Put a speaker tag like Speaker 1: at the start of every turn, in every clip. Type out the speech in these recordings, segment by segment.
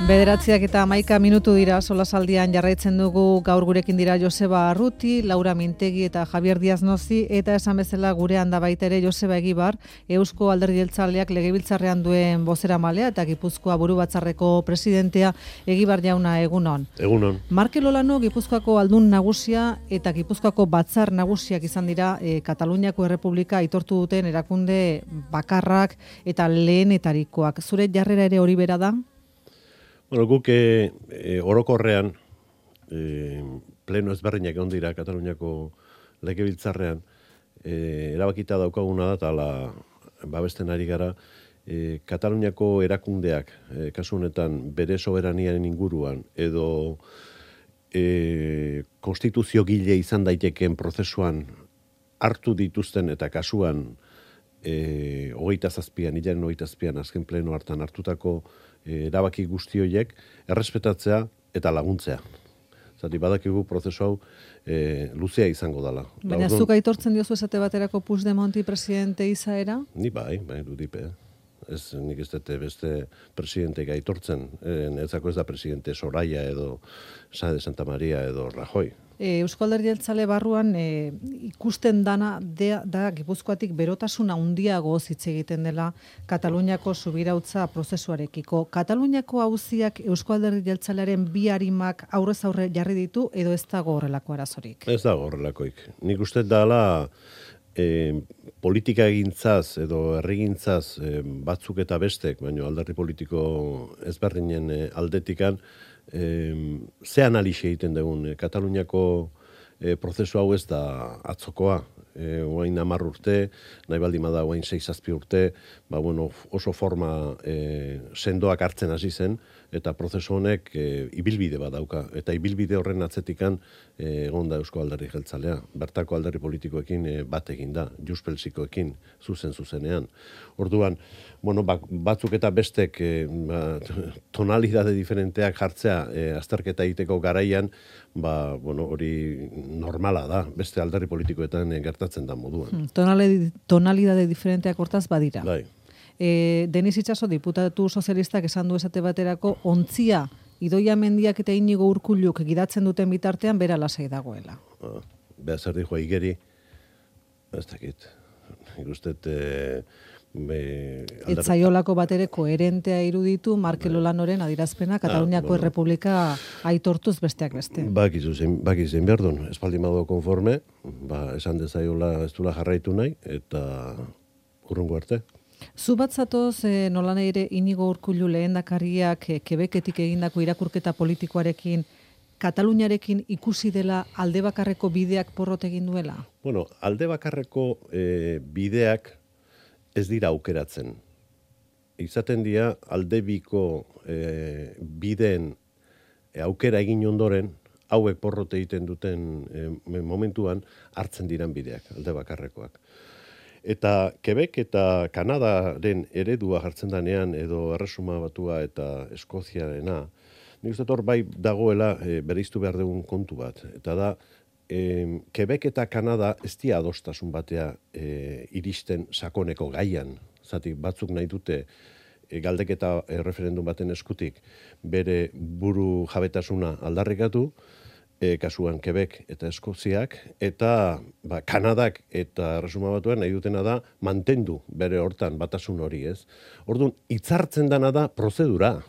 Speaker 1: Bederatziak eta 11 minutu dira solasaldian jarraitzen dugu. Gaur gurekin dira Joseba Arruti, Laura Mintegi eta Javier Díaz Nozi, eta esan bezala gurean da baita ere Joseba Egibar, Eusko Alderdi Jeltzaleak legebiltzarrean duen bozeramailea eta Gipuzkoa Burubatzarreko presidentea. Egibar jauna, egunon.
Speaker 2: Egunon.
Speaker 1: Markel Olano Gipuzkoako aldun nagusia eta Gipuzkoako batzar nagusiak izan dira Kataluniako Errepublika aitortu duten erakunde bakarrak eta lehenetarikoak. Zure jarrera ere hori bera da?
Speaker 2: Bueno, guk orokorrean pleno ezberdinak egon dira Kataluniako legebiltzarrean erabakita daukaguna da, eta babesten ari gara Kataluniako erakundeak kasu honetan bere soberaniaren inguruan edo konstituzio gile izan daitekeen prozesuan hartu dituzten eta kasuan 27an azken pleno hartan hartutako erabaki guzti horiek errespetatzea eta laguntzea. Zati badakigu prozesu hau luzea izango dela.
Speaker 1: Baina zuk aitortzen diozu esate baterako Puigdemonti presidente izaera?
Speaker 2: Ni bai, dudipe. Ez, nik ez dute beste presidenteak aitortzen. Netzako ez da presidente Soraya edo Sáenz de Santa María edo Rajoy.
Speaker 1: Eusko Alderdi Jeltzale barruan ikusten dana da Gipuzkoatik berotasuna handiago hitz egiten dela Kataluniako subirautza prozesuarekiko. Kataluniako auziak Eusko Alderdi Jeltzalearen bi arimak aurrez aurre jarri ditu edo ez dago horrelako arazorik? Ez
Speaker 2: dago horrelakoik. Nik uste dela politika egintzaz edo herrigintzaz batzuk eta bestek, baina alderdi politiko ezberdinen aldetikan, ze analisi egiten dugun. Kataluniako prozesu hau ez da atzokoa. Oain 10 urte, nahi baldin bada oain 6-7 urte, oso forma sendoak hartzen hasi zen, eta prozesu honek ibilbide bat dauka. Eta ibilbide horren atzetikan egon da Eusko Alderdi Jeltzalea. Bertako alderdi politikoekin bat egin da, Juspelsikoekin zuzenean. Orduan, batzuk eta bestek tonalidade diferenteak jartzea azterketa egiteko garaian, hori normala da, beste alderdi politikoetan gertatzen da moduan.
Speaker 1: Tonalidade diferenteak hortaz badira.
Speaker 2: Bai.
Speaker 1: Denis Itxaso, diputatu sozialistak esan du esate baterako, ontzia Idoia Mendiak eta Inigo Urkulluk gidatzen duten bitartean bera lasai dagoela.
Speaker 2: Beha zer dijoa igeri, ez dakit. Ikustet
Speaker 1: etzaiolako batere koherentea iruditu Markel Olanoren adirazpena Kataluniako Errepublika aitortuz besteak beste.
Speaker 2: Bakizu zein behar duen, espaldi mago konforme, esan dezaiola ez dula jarraitu nahi, eta urrungo arte.
Speaker 1: Zu bat zatoz nola ere Inigo Urkullu lehendakariak Quebecetik egindako irakurketa politikoarekin Kataluniarekin ikusi dela alde bakarreko bideak porrot egin duela?
Speaker 2: Alde bakarreko bideak ez dira aukeratzen. Izaten dira aldebiko bideen aukera egin ondoren, hauek porrot egiten duten momentuan hartzen diran bideak, alde bakarrekoak. Eta Quebec eta Kanadaren eredua jartzen danean, edo Erresuma Batua eta Eskoziarena, nik uste hor bai dagoela bereiztu behar dugun kontu bat. Eta da, Quebec eta Kanada ez dira adostasun batea iristen sakoneko gaian. Zati batzuk nahi dute galdeketa referendum baten eskutik bere buru jabetasuna aldarrikatu, kasuan Quebec eta Eskoziak, eta Kanadak eta Erresuma Batuan nahi dutena da mantendu bere hortan batasun hori, ez? Orduan, hitzartzen dana da prozedura.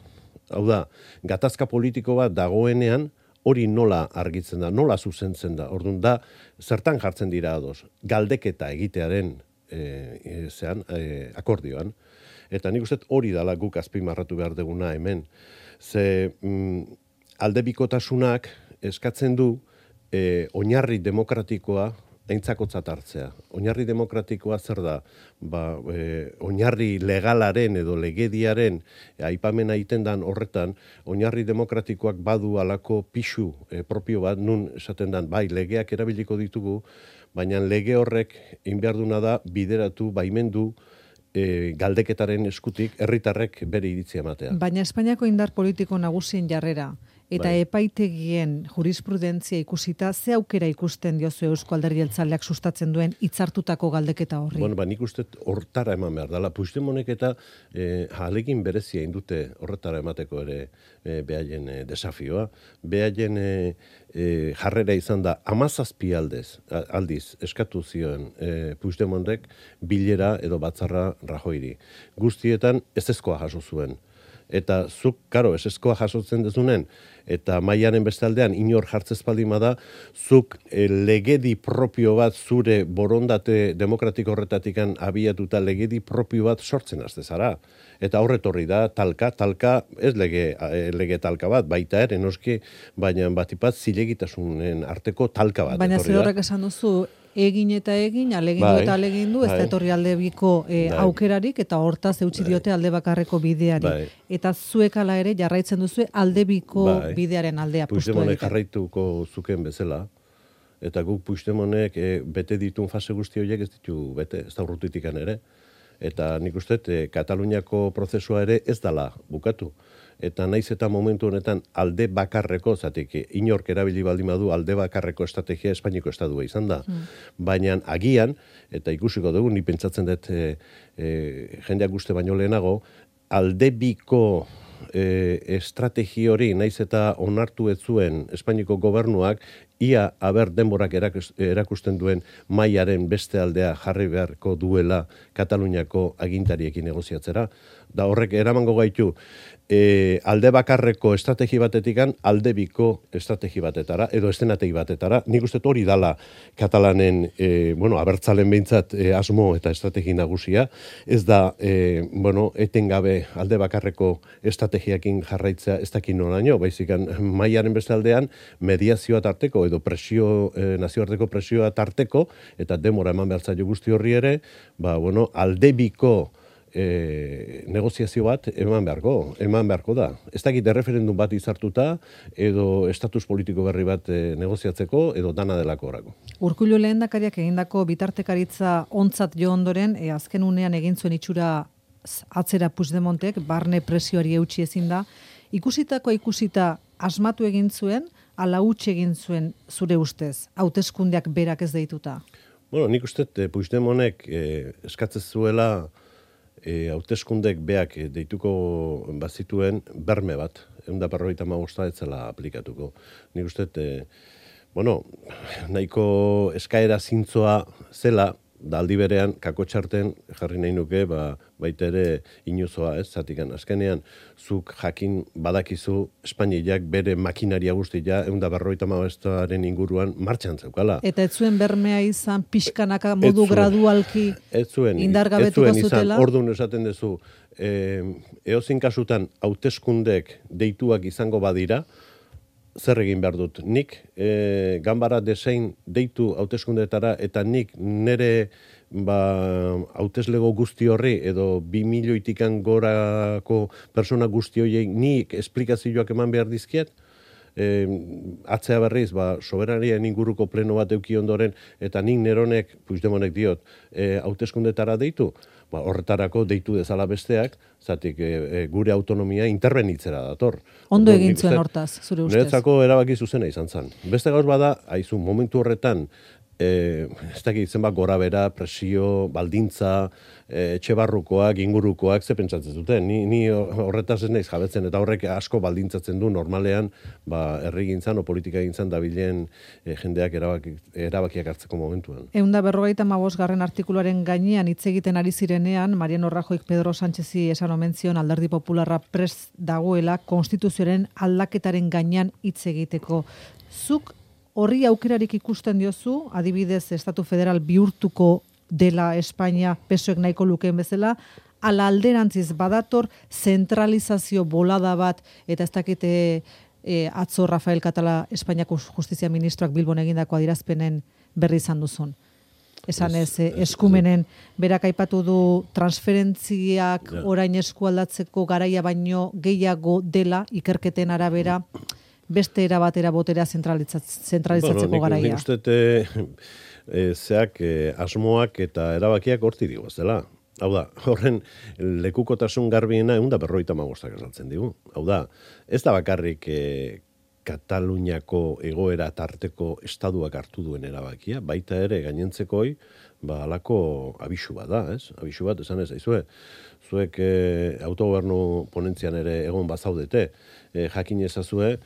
Speaker 2: Hau da, gatazka politiko bat dagoenean, hori nola argitzen da, nola zuzentzen da. Orduan da, zertan jartzen dira ados, galdeketa egitearen akordioan. Eta nik uste hori dala guk azpimarratu behar duguna hemen. Ze aldebikotasunak eskatzen du oinarri demokratikoa aintzakotzat hartzea. Oinarri demokratikoa zer da? Oinarri legalaren edo legediaren aipamena egiten dan horretan, oinarri demokratikoak badu alako pixu propio bat, nun esaten dan, bai, legeak erabiliko ditugu, baina lege horrek inbeharduna da bideratu, baimendu, galdeketaren eskutik herritarrek bere iritzia ematea.
Speaker 1: Baina Espainiako indar politiko nagusien jarrera eta epaitegien jurisprudentzia ikusita, ze aukera ikusten diozu Eusko Alderdi Jeltzaleak sustatzen duen hitzartutako galdeketa horri?
Speaker 2: Bueno, nik uste hortara eman behar dela. Puigdemontek eta ahalegin berezia indute horretara emateko ere behaien desafioa. Behaien jarrera izan da 17 aldiz eskatu zioen Puigdemontek bilera edo batzarra Rajoyri. Guztietan ezezkoa jaso zuen. Eta zuk, karo, ezezkoa jasotzen dezunen, eta mailaren beste aldean inor jartzez baldin da, zuk legedi propio bat zure borondate demokratiko horretatikan abiatuta legedi propio bat sortzen azte zara. Eta horretorri da talka ez lege talka bat, baita ere noski, baina batipat zilegitasunen arteko talka bat.
Speaker 1: Baina ze horrek esan duzu, egin eta egin, alegin du, ez da etorri alde biko aukerarik, eta hortaz eutsi diote alde bakarreko bideari. Eta zuek ala ere jarraitzen duzu alde biko bidearen aldea pustu egiten.
Speaker 2: Puigdemontek jarraituko zuken bezala, eta guk Puigdemontek bete ditun fase guzti horiek ez ditu bete, ez da urrutitikan ere. Eta nik uste, Kataluniako prozesua ere ez dala bukatu. Eta naiz eta momentu honetan alde bakarreko, zatik inork erabili baldin badu alde bakarreko estrategia Espainiko estadua izan da. Baina agian, eta ikusiko dugu, ni pentsatzen dut jendeak uste baino lehenago, alde biko estrategi hori naiz eta onartu ez zuen Espainiko gobernuak, ia aber denborak erakusten duen mailaren beste aldea jarri beharko duela Kataluniako agintariekin negoziatzera. Da horrek eramango gaitu alde bakarreko estrategi batetikan alde biko estrategi batetara, edo estenategi batetara. Nik uste hori dala Katalanen, abertzalen behintzat asmo eta estrategi nagusia. Ez da, etengabe alde bakarreko estrategiakin jarraitzea ez dakin noraino, baizikan mailaren beste aldean mediazioa tarteko, edo nazioarteko presioa tarteko, eta demora eman behar zaio guzti horri ere, alde biko negoziazio bat eman beharko da. Ez dakit erreferendum bat izartuta, edo estatus politiko berri bat negoziatzeko, edo dana delako orako.
Speaker 1: Urkullu lehendakariak egindako bitartekaritza ontzat jo ondoren, azken unean egin zuen itxura atzera Puigdemontek, barne presioari eutsi ezin da. Ikusita asmatu egin zuen, ala huts egin zuen zure ustez, hauteskundeak berak ez deituta?
Speaker 2: Nik uste Puigdemontek eskatzen zuela hauteskundek beak deituko bazituen berme bat, 155 ez zela aplikatuko. Nik uste, nahiko eskaera zintzoa zela, da aldi berean, kakotxarten jarri nahi nuke, baita ere inuzoa, ez, zatikan. Azkenean, zuk jakin badakizu Espainiak bere makinaria guztia 155aren inguruan martxan zeukala.
Speaker 1: Eta ez zuen bermea izan pixkanaka modu gradualki indargabetuko zutela?
Speaker 2: Orduan esaten duzu, eozin kasutan hauteskundek deituak izango badira, zer egin behar dut? Nik ganbara desein deitu hauteskundetara eta nik nire hauteslego guzti horri edo 2 milioitikan gorako persona guzti horiei nik esplikazioak eman behar dizkiet? Atzea berriz, soberanien inguruko pleno bat euki ondoren, eta nik neronek, Puigdemontek diot, hauteskundetara deitu, horretarako deitu dezala besteak, zatik gure autonomia interbenitzera dator.
Speaker 1: Ondo egin zuen hortaz, zure ustez?
Speaker 2: Niretzako erabaki zuzena izan zen. Beste gauz bada, haizu, momentu horretan, ez dakit zenbat gora bera, presio, baldintza, etxebarrukoak, ingurukoak, ze pentsatzen zuten. Ni horretaz ez naiz jabetzen, eta horrek asko baldintzatzen du normalean, herrigintzan o politika gintzan dabilen jendeak erabakiak hartzeko momentuan.
Speaker 1: 155. artikuluaren gainean hitz egiten ari zirenean, Mariano Rajoyk Pedro Sánchezi esan omen zion Alderdi Popularra prest dagoela konstituzioaren aldaketaren gainean hitz egiteko. Zuk horri aukerarik ikusten diozu, adibidez, Estatu Federal bihurtuko dela Espainia pesoek nahiko lukeen bezala, ala alderantziz badator zentralizazio bolada bat, eta ez dakite atzo Rafael Catala Espainiako Justizia Ministroak Bilbon egindako adierazpenen berri izan duzun. Esan eskumenen, berak aipatu du transferentziak orain eskualdatzeko garaia baino gehiago dela, ikerketen arabera, beste erabatera botera zentralizatzeko garaia.
Speaker 2: Nik uste zeak asmoak eta erabakiak horti digu, ez dela. Hau da, horren lekukotasun garbiena 155 esaltzen digu. Hau da, ez da bakarrik Kataluniako egoera tarteko estaduak hartu duen erabakia, baita ere gainentzekoi, halako abisu bat da, ez? Abisu bat, esan ez, zuek autogobernu ponentzian ere egon bazaudete, jakin ezazue,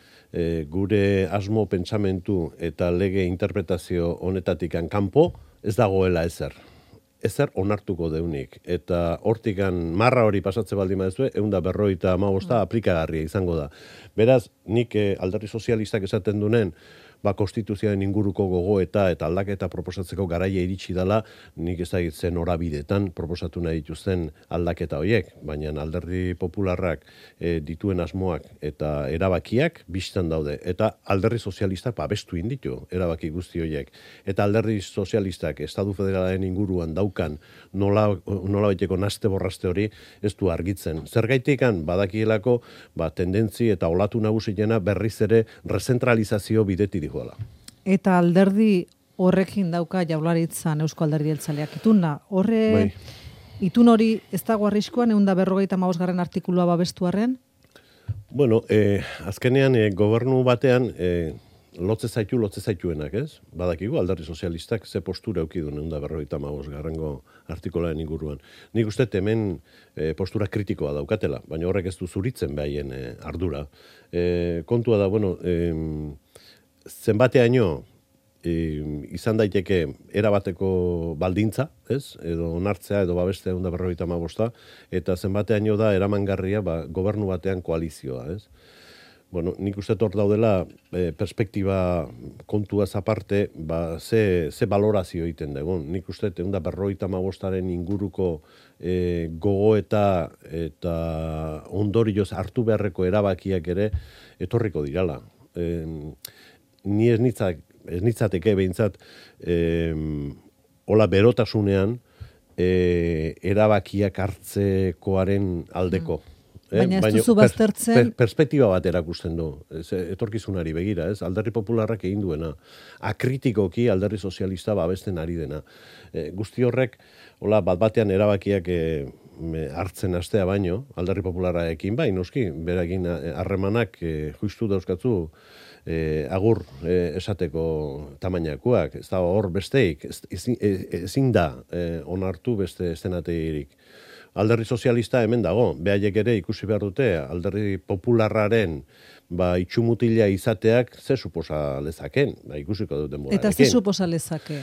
Speaker 2: gure asmo pentsamentu eta lege interpretazio honetatikan kanpo ez dagoela ezer onartuko deunik. Eta hortikan marra hori pasatze baldin baduzue, 155 aplikagarria izango da. Beraz, nik alderdi sozialistak esaten dunen, konstituzioaren inguruko gogoeta eta aldaketa proposatzeko garaia iritsi dela, nik ezagitzen horabidetan proposatu nahi dituzten aldaketa horiek, baina alderdi popularrak dituen asmoak eta erabakiak bistan daude. Eta alderdi sozialistak babestu inditu erabaki guzti horiek. Eta alderdi sozialistak Estatu Federalaren inguruan daukan nolabaiteko naste borraste hori ez du argitzen. Zergaitikan badakielako tendentzi eta olatu nagusiena berriz ere rezentralizazio bidetik dihoala.
Speaker 1: Eta alderdi horrekin dauka Jaurlaritzan Eusko Alderdi Jeltzaleak ituna. Itun hori ez dago arriskuan 155. artikulua babestuarren?
Speaker 2: Bueno, azkenean gobernu batean lotze zaituenak, ez? Badakigu alderdi sozialistak ze postura eduki du 155. artikularen inguruan. Nik uste hemen postura kritikoa daukatela, baina horrek ez du zuritzen behaien ardura. Kontua da, zenbateaino izan daiteke erabateko baldintza, ez? Edo onartzea edo babestea 155, eta zenbateaino da eramangarria gobernu batean koalizioa, ez? Nik uste hor daudela perspektiba kontuaz aparte, ze balorazio egiten dugun. Nik uste 155aren inguruko gogoeta eta ondorioz hartu beharreko erabakiak ere etorriko dirala. Ni ez nitzateke behintzat hola berotasunean erabakiak hartzekoaren aldeko.
Speaker 1: Baina ez duzu baztertzen...
Speaker 2: Perspektiba bat erakusten du, etorkizunari begira, ez? Alderdi popularrak egin duena, akritikoki alderdi sozialista babesten ari dena. Guzti horrek, bat-batean erabakiak hartzen astea baino, alderdi popularrarekin noski, berakin harremanak justu dauzkatzu agur esateko tamainakoak, ez da hor besteik, ezin da onartu beste eszenategirik. Alderdi sozialista hemen dago, behaiek ere ikusi behar dute, alderdi popularraren itxumutila izateak ze suposa lezaken, ikusiko duten borarekin.
Speaker 1: Eta ze suposa lezake?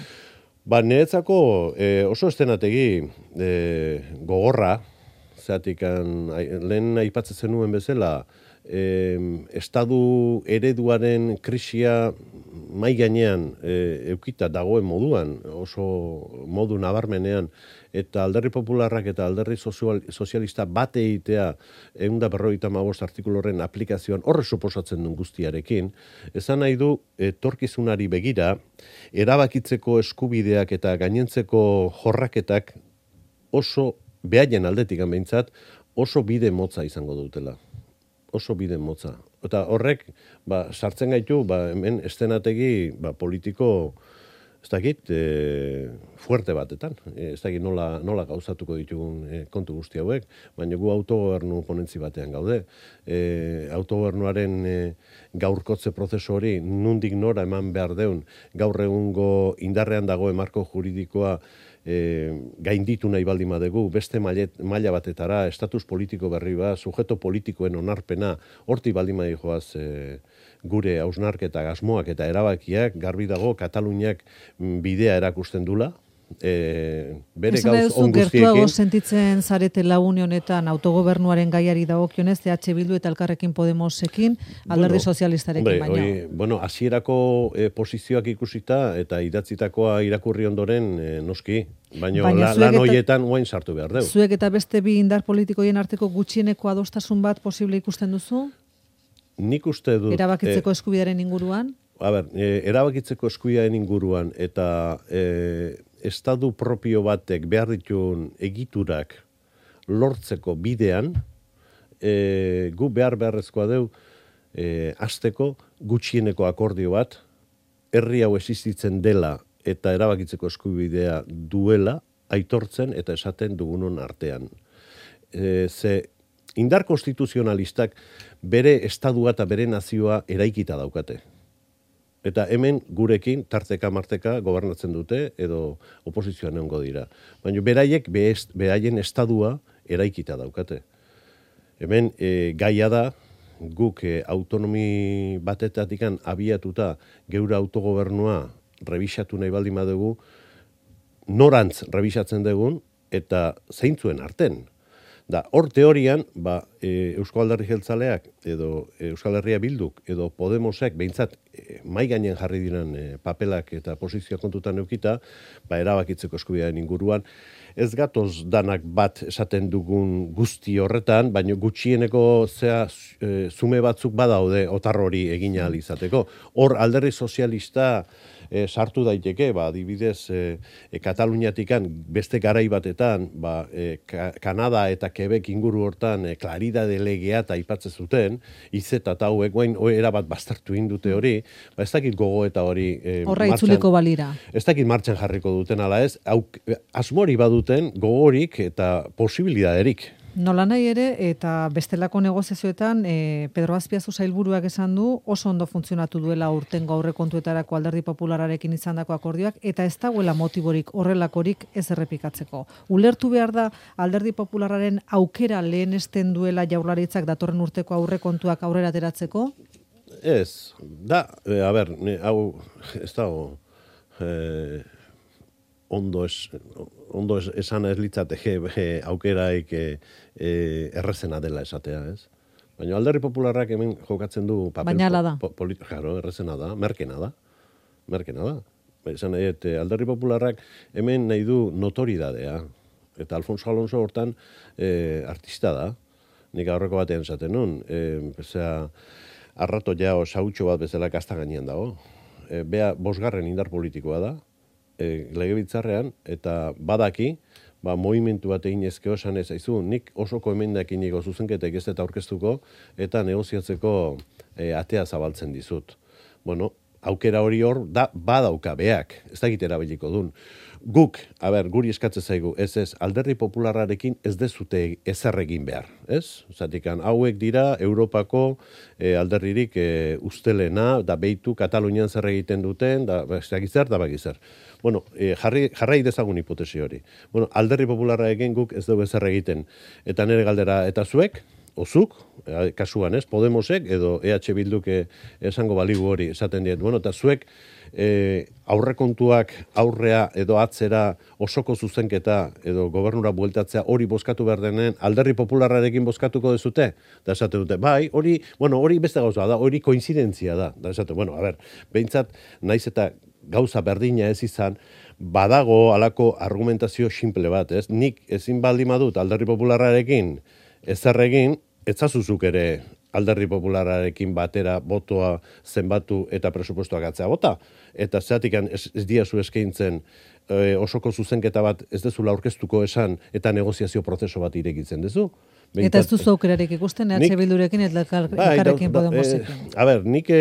Speaker 2: Niretzako oso eszenategi gogorra, zeatik lehen aipatzen zenuen bezala, estadu ereduaren krisia mai gainean eukita dagoen moduan, oso modu nabarmenean, eta alderdi popularrak eta alderdi sozialista bate egitea 155 artikuluren aplikazioan horre suposatzen duen guztiarekin, esan nahi du etorkizunari begira, erabakitzeko eskubideak eta gainentzeko jorraketak oso, behaien aldetik behintzat, oso bide motza izango dutela. Oso bide motza. Eta horrek, sartzen gaitu, hemen eszenategi politiko, ez dakit, fuerte batetan. Ez dakit nola gauzatuko ditugun kontu guzti hauek, baina gu autogobernu ponentzi batean gaude. Autogobernuaren gaurkotze prozesu hori nundik nora eman behar deun, gaur egungo indarrean dagoen marko juridikoa gainditu nahi baldin badegu, beste maila batetara, estatus politiko berri bat, sujeto politikoen onarpena, horti baldin joaz gure hausnarketa asmoak eta erabakiak, garbi dago Kataluniak bidea erakusten dula, bere gauz on guztiekin.
Speaker 1: Gertuago sentitzen zaretela une honetan autogobernuaren gaiari dagokionez, EH Bildu eta Elkarrekin Podemosekin, alderdi sozialistarekin baino.
Speaker 2: Bueno, hasierako posizioak ikusita eta idatzitakoa irakurri ondoren noski, baina lan horietan oain sartu behar dugu.
Speaker 1: Zuek eta beste bi indar politikoien arteko gutxieneko adostasun bat posible ikusten duzu?
Speaker 2: nik uste dut...
Speaker 1: Erabakitzeko eskubidearen inguruan?
Speaker 2: Erabakitzeko eskubidearen inguruan eta estadu propio batek behar dituen egiturak lortzeko bidean, gu beharrezkoa deu hasteko gutxieneko akordio bat, herri hau existitzen dela eta erabakitzeko eskubidea duela, aitortzen eta esaten dugunon artean. Ze indar konstituzionalistak bere estadua eta bere nazioa eraikita daukate. Eta hemen gurekin tarteka-marteka gobernatzen dute edo oposizioan egongo dira. Baina beraiek beraien estadua eraikita daukate. Hemen gaia da, guk autonomi batetatik abiatuta geure autogobernua rebisatu nahi baldin badugu, norantz rebisatzen dugun eta zeintzuen arten. Da, hor teorian, Eusko Alderdi Jeltzaleak edo Euskal Herria Bilduk edo Podemosek behintzat mai gainen jarri diren papelak eta posizioa kontutan eukita, erabakitzeko eskubidearen inguruan, ez gatoz danak bat esaten dugun guzti horretan, baina gutxieneko zume batzuk badaude otar hori egin ahal izateko. Hor Alderdi Sozialista sartu daiteke, adibidez Kataluniatikan beste garai batetan, Kanada eta Quebec inguru hortan klaridade legea eta aipatzen zuten, izeta eta hauek guain erabat bastartu indute hori, ez dakit gogo eta hori
Speaker 1: horra itzuleko balira.
Speaker 2: Ez dakit martxan jarriko duten ala ez, asmori baduten gogorik eta posibilidaderik.
Speaker 1: Nola nahi ere, eta bestelako negoziazioetan, Pedro Azpiazu sailburuak esan du, oso ondo funtzionatu duela urtengo aurrekontuetarako Alderdi Populararekin izandako akordioak, eta ez dagoela motiborik horrelakorik ez errepikatzeko. Ulertu behar da Alderdi Popularraren aukera lehenesten duela Jaurlaritzak datorren urteko aurrekontuak aurrera ateratzeko?
Speaker 2: Ez, hau ez dago... ondo esan ez litzateke aukeraik errezena dela esatea, ez? Baina Alderdi Popularrak hemen jokatzen du papel...
Speaker 1: Baina ala da.
Speaker 2: Claro, errezena da, merkena da. Esan Alderdi Popularrak hemen nahi du notoridadea. Eta Alfonso Alonso hortan artista da. Nik aurreko batean esaten nun. Arrato ja sautxo bat bezala kasta gainean dago. Bea 5. indar politikoa da. Legebiltzarrean, eta badaki, movimentu bat egin ezkeo esan ez aizu, nik osoko emendakiniko zuzenketek ez eta aurkeztuko, eta negoziatzeko atea zabaltzen dizut. Bueno, aukera hori hor, badauka beak, ez dakit erabiliko dun. Guk, guri eskatzen zaigu, ez, Alderdi Popularrarekin ez dezute ezer egin behar, ez? Zatikan, hauek dira Europako alderdirik ustelena, da beitu Katalunian zer egiten duten, da bakizer. Bueno, jarrai dezagun hipotesi hori. Bueno, Alderdi Popularrarekin guk ez dugu ezer egiten. Eta nire galdera, eta zuek, ozuk, kasuan ez, Podemosek edo EH Bilduk esango baligu hori esaten diet. Bueno, eta zuek aurrekontuak aurrea edo atzera osoko zuzenketa edo gobernura bueltatzea hori bozkatu behar denen Alderdi Popularrarekin bozkatuko dezute? Da esaten dute, hori beste gauza da, hori koinzidentzia da. Da esaten, behintzat, naiz eta gauza berdina ez izan, badago alako argumentazio simple bat, ez? Nik ezin baldin badut Alderdi Popularrarekin ezer egin, etzazuzuk ere Alderdi Populararekin batera botoa zenbatu eta presupuestoak atzea bota. Eta zeatikan ez diazu eskaintzen osoko zuzenketa bat ez dezula aurkeztuko esan eta negoziazio prozeso bat irekitzen dezu.
Speaker 1: Eta ez duzu aukerarik ikusten, EH Bildurekin eta elkarrekin Podemosekin.
Speaker 2: Nik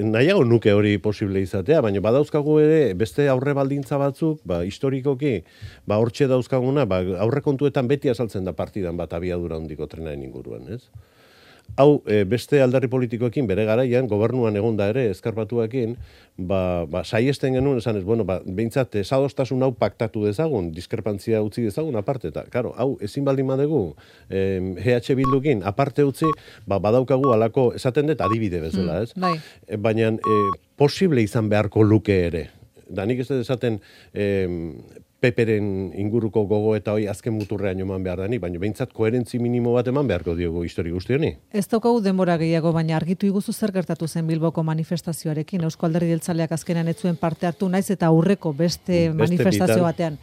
Speaker 2: nahiago nuke hori posible izatea, baina badauzkagu ere beste aurre baldintza batzuk, historikoki, hortxe dauzkaguna, aurrekontuetan beti azaltzen da partidan bat abiadura handiko trenaren inguruan, ez? Hau, beste alderdi politikoekin bere garaian, gobernuan egonda ere, eskarpatuekin, saiesten genuen, esan ez, behintzat, esadostasun hau paktatu dezagun, diskrepantzia utzi dezagun aparte, eta, karo, hau, ezin baldin badegu, EH Bildukin aparte utzi, badaukagu alako, esaten dut adibide bezala, ez? Baina, posible izan beharko luke ere. Da, nik ez dut esaten, Peperen inguruko gogo eta hoi azken muturrean eman behar dani, baina behintzat koherentzi minimo bat eman beharko diogu histori guzti honi.
Speaker 1: Ez daukagu denbora gehiago, baina argitu iguzu zer gertatu zen Bilboko manifestazioarekin. Eusko Alderdi Jeltzaleak azkenan ez zuen parte hartu naiz eta aurreko beste manifestazio batean.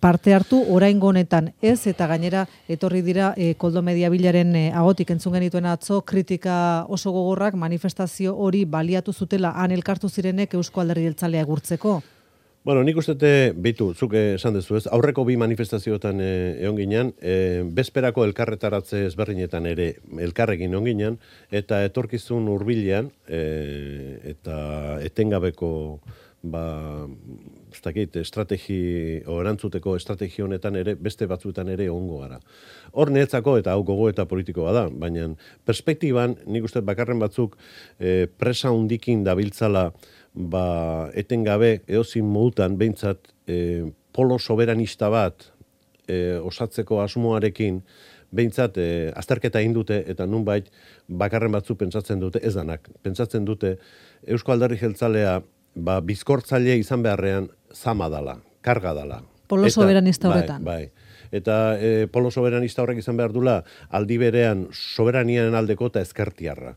Speaker 1: parte hartu oraingo honetan ez, eta gainera etorri dira Koldo Mediabilaren ahotik entzun genituen atzo kritika oso gogorrak manifestazio hori baliatu zutela han elkartu zirenek Eusko Alderdi Jeltzalea egurtzeko.
Speaker 2: Bueno, nik uste beitu, zuk esan dezu ez, aurreko bi manifestazioetan egon ginen, bezperako elkarretaratze ezberdinetan ere elkarrekin egon ginen, eta etorkizun hurbilean eta etengabeko ez dakit, erantzuteko estrategi honetan ere, beste batzuetan ere egongo gara. Hor netzako eta hau gogo eta politikoa da, baina perspektiban, nik uste bakarren batzuk presa hundikin dabiltzala etengabe eozin modutan behintzat polo soberanista bat osatzeko asmoarekin behintzat azterketa egin dute eta nunbait bakarren batzu pentsatzen dute, ez danak, pentsatzen dute Eusko Alderdi Jeltzalea bizkortzaile izan beharrean zama dala, karga dala.
Speaker 1: Polo soberanista horretan.
Speaker 2: Bai. Eta polo soberanista horrek izan behar dula aldi berean soberaniaren aldeko eta ezkertiarra.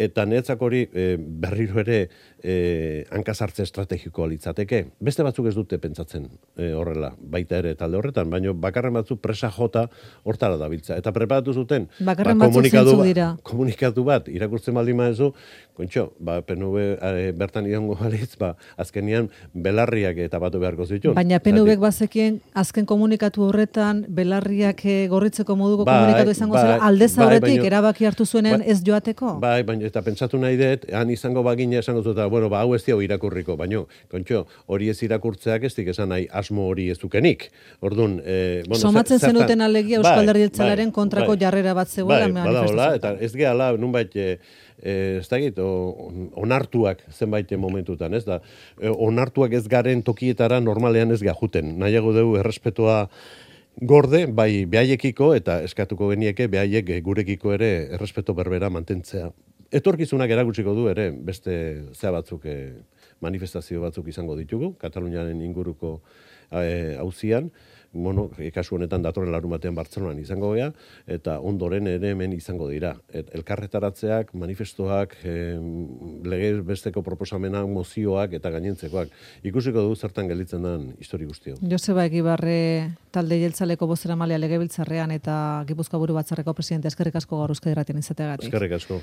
Speaker 2: Eta netzak hori berriro ere hankasartze estrategikoa litzateke. Beste batzuk ez dute pentsatzen horrela, baita ere talde horretan, baina bakarren batzuk presa jota hortara dabiltza. Eta preparatu zuten
Speaker 1: bakarren batzuk zintzu dira.
Speaker 2: Komunikatu bat, irakurtzen baldin maezu, kontxo, PNV bertan idongo balitz, azkenian belarriak eta batu beharko zituen.
Speaker 1: Baina PNV-ek bazekien azken komunikatu horretan belarriak gorritzeko moduko komunikatu izango zela aldez aurretik erabaki hartu zuenean ez joateko?
Speaker 2: Bai, baina eta pentsatu nahi dut, han izango bagina esango zuta, hau ez diau irakurriko, baina, kontxo, hori ez irakurtzeak ez dik esan nahi asmo hori ez dukenik. Orduan,
Speaker 1: somatzen zenuten alegia Eusko Alderdi Jeltzalearen kontrako jarrera bat zegoela manifestazioa.
Speaker 2: Eta ez gehala, nunbait, ez dakit, onartuak zenbait momentutan, ez da, onartuak ez garen tokietara normalean ez gajuten. Nahiago dugu errespetoa gorde, bai behaiekiko eta eskatuko genieke behaiek gurekiko ere errespeto berbera mantentzea. Etorkizunak erakutsiko du ere, beste zea batzuk manifestazio batzuk izango ditugu, Kataluniaren inguruko auzian, kasu honetan datorren larunbatean Bartzelonan izango gea, eta ondoren ere hemen izango dira. Elkarretaratzeak, manifestoak, legez besteko proposamenak, mozioak eta gainentzekoak. Ikusiko du zertan gelditzen den histori guztio.
Speaker 1: Joseba Egibarre talde jeltzaleko bozeramalea legebiltzarrean eta Gipuzkoa Buru Batzarreko presidente, eskerrik asko gaur Euskadi Irratian izateagatik.
Speaker 2: Eskerrik asko.